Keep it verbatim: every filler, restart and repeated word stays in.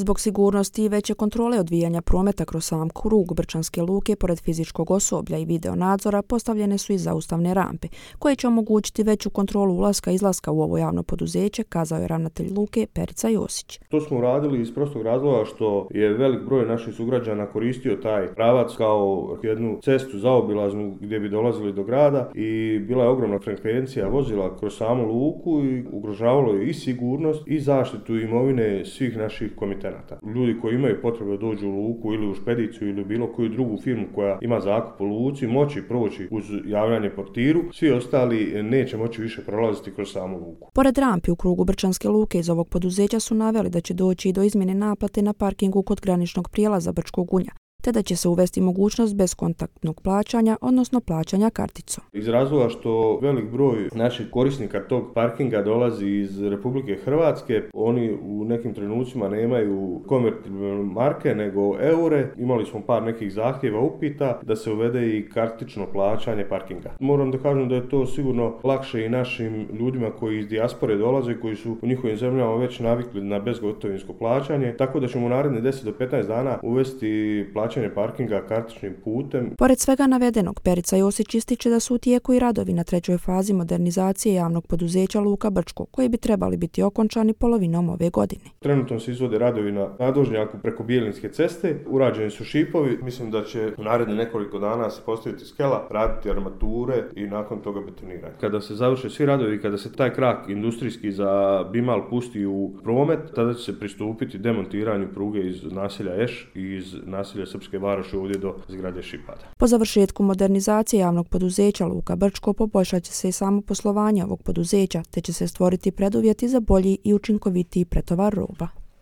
Zbog sigurnosti i veće kontrole odvijanja prometa kroz sam krug Brčanske luke, pored fizičkog osoblja i video nadzora, postavljene su i zaustavne rampe, koje će omogućiti veću kontrolu ulaska i izlaska u ovo javno poduzeće, kazao je ravnatelj luke Perica Josić. To smo uradili iz prostog razloga što je velik broj naših sugrađana koristio taj pravac kao jednu cestu zaobilaznu gdje bi dolazili do grada i bila je ogromna frekvencija vozila kroz samu luku i ugrožavalo je i sigurnost i zaštitu imovine svih naših komitenata. Ljudi koji imaju potrebu da dođu u luku ili u špediciju ili bilo koju drugu firmu koja ima zakup u luci moći proći uz javljanje portiru, svi ostali neće moći više prolaziti kroz samu luku. Pored rampi u krugu Brčanske luke iz ovog poduzeća su naveli da će doći i do izmjene naplate na parkingu kod graničnog prijelaza Brčkog Gunja, te da će se uvesti mogućnost bezkontaktnog plaćanja, odnosno plaćanja karticom. Iz razloga što velik broj naših korisnika tog parkinga dolazi iz Republike Hrvatske, oni u nekim trenucima nemaju konvertibilne marke nego eure. Imali smo par nekih zahtjeva, upita da se uvede i kartično plaćanje parkinga. Moram da kažem da je to sigurno lakše i našim ljudima koji iz dijaspore dolaze, koji su u njihovim zemljama već navikli na bezgotovinsko plaćanje, tako da ćemo u naredne deset do petnaest dana uvesti plaćanje parkinga kartičnim putem. Pored svega navedenog, Perica Josić ističe da su u tijeku i radovi na trećoj fazi modernizacije javnog poduzeća Luka Brčko, koji bi trebali biti okončani polovinom ove godine. Trenutno se izvode radovi na nadvožnjaku preko Bijelinske ceste, urađeni su šipovi, mislim da će u naredne nekoliko dana se postaviti skela, raditi armature i nakon toga betoniranje. Kada se završe svi radovi, kada se taj krak industrijski za Bimal pusti u promet, tada će se pristupiti demontiranju pruge iz naselja Eš i iz naselja Srpske Varoši ovdje do zgrade Šipada. Po završetku modernizacije javnog poduzeća Luka Brčko poboljšat će se i samo poslovanje ovog poduzeća, te će se stvoriti preduvjeti za bolji i učinkovitiji pretovar roba.